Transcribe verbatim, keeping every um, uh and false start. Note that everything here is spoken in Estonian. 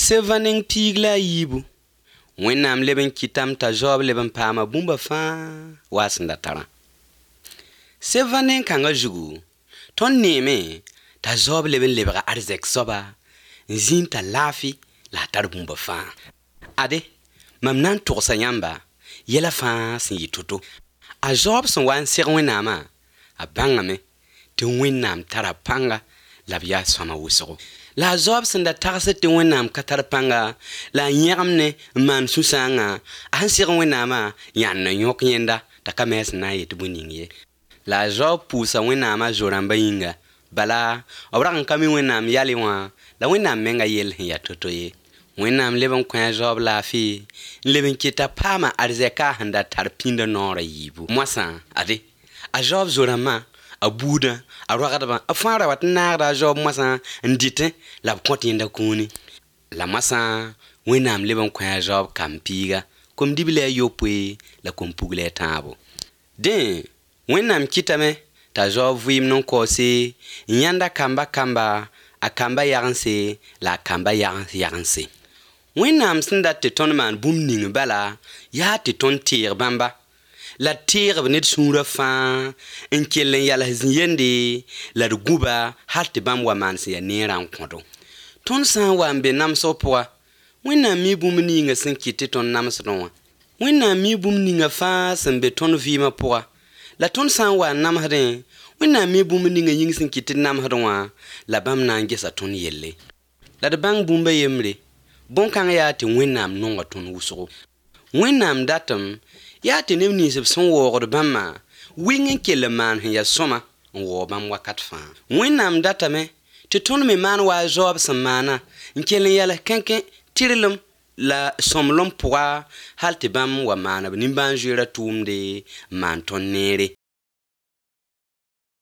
Sevaning pigla yibu. Wẽnnaam leb n kɩtame t'a Job leb n paama bũmba fãa waa sẽn da tarã. Seva nen-kãngã zugu, tõnd neeme t'a Job leb n lebga arzɛk soaba n zĩig t'a laafɩ la a tar bũmba fãa. Ade, mam na n togsa yãmba yɛla fãa sẽn yɩ to-to. A Job sẽn wa n seg Wẽnnaamã, a bãngame tɩ Wẽnnaam tara pãnga la b yaa sõama wʋsgo. La a Job sẽn da tagsd tɩ Wẽnnaam ka tar pãnga la a yẽgemne n maan sũ-sãangã, a sẽn seg Wẽnnaamã yãnd n yõk yẽnda t'a ka me sẽn na n yet bõe ning ye. La a Job pʋʋsa Wẽnnaamã zo-rãmbã yĩnga, bala b rag n ka mi Wẽnnaam yale wã la Wẽnnaam menga yell sẽn ya to-to ye. Wẽnnaam leb n kõ a Job laafɩ n leb n kɩt t'a paama arzɛka sẽn da tar pĩnda noorã yiibu. Moasã, ade, a Job zo-rãmbã, a buudã, a roagdbã, a fãa ra wat n naagda a Job moasã n dɩtẽ la b kõt yẽnda kũuni. La moasã, Wẽnnaam leb n kõ a Job kam-piiga, kom-dibli a yopoe la kom-pugli a tãabo. Dẽ, Wẽnnaam kɩtame t'a Job vɩɩmd n kaoose n yãnda kamba kamba, a kamba yagense la a kamba yagens yagense. Wẽnnaam sẽn dat tɩ tõnd maan bũmb ning bala yaa tɩ tõnd teeg bãmba la d teeg-b ned sũurã fãa n kell n yals yende la d gũba hal tɩ bãmb wa maan sẽn ya neerã n kõdo. Tõnd sã n wa n be namsg pʋga, Wẽnnaam mi bũmb ninga sẽn kɩt tɩ tõnd namsdẽ wã. Wẽnnaam mi bũmb ninga fãa sẽn be tõnd vɩɩmã pʋga, la tõnd sã n wa n namsdẽ, Wẽnnaam mi bũmb ninga yĩng sẽn kɩt tɩ d namsdẽ wã la bãmb na n gesa tõnd yelle. La d bãng bũmba yembre, bõn-kãng yaa tɩ Wẽnnaam nonga tõnd wʋsgo. Wẽnnaam datem yaa tɩ neb nins b sẽn waoogd bãmbã wɩng n kell n maan sẽn ya sõma n waoo bãmb wakat fãa. Wẽnnaam datame tɩ tõnd me maan wa a Job sẽn maana n kell n yals kẽnkẽ tɩrlem la sõmlem pʋga hal tɩ bãmb wa maan b nimbãan-zoeerã tʋʋmde n maan tõnd neere.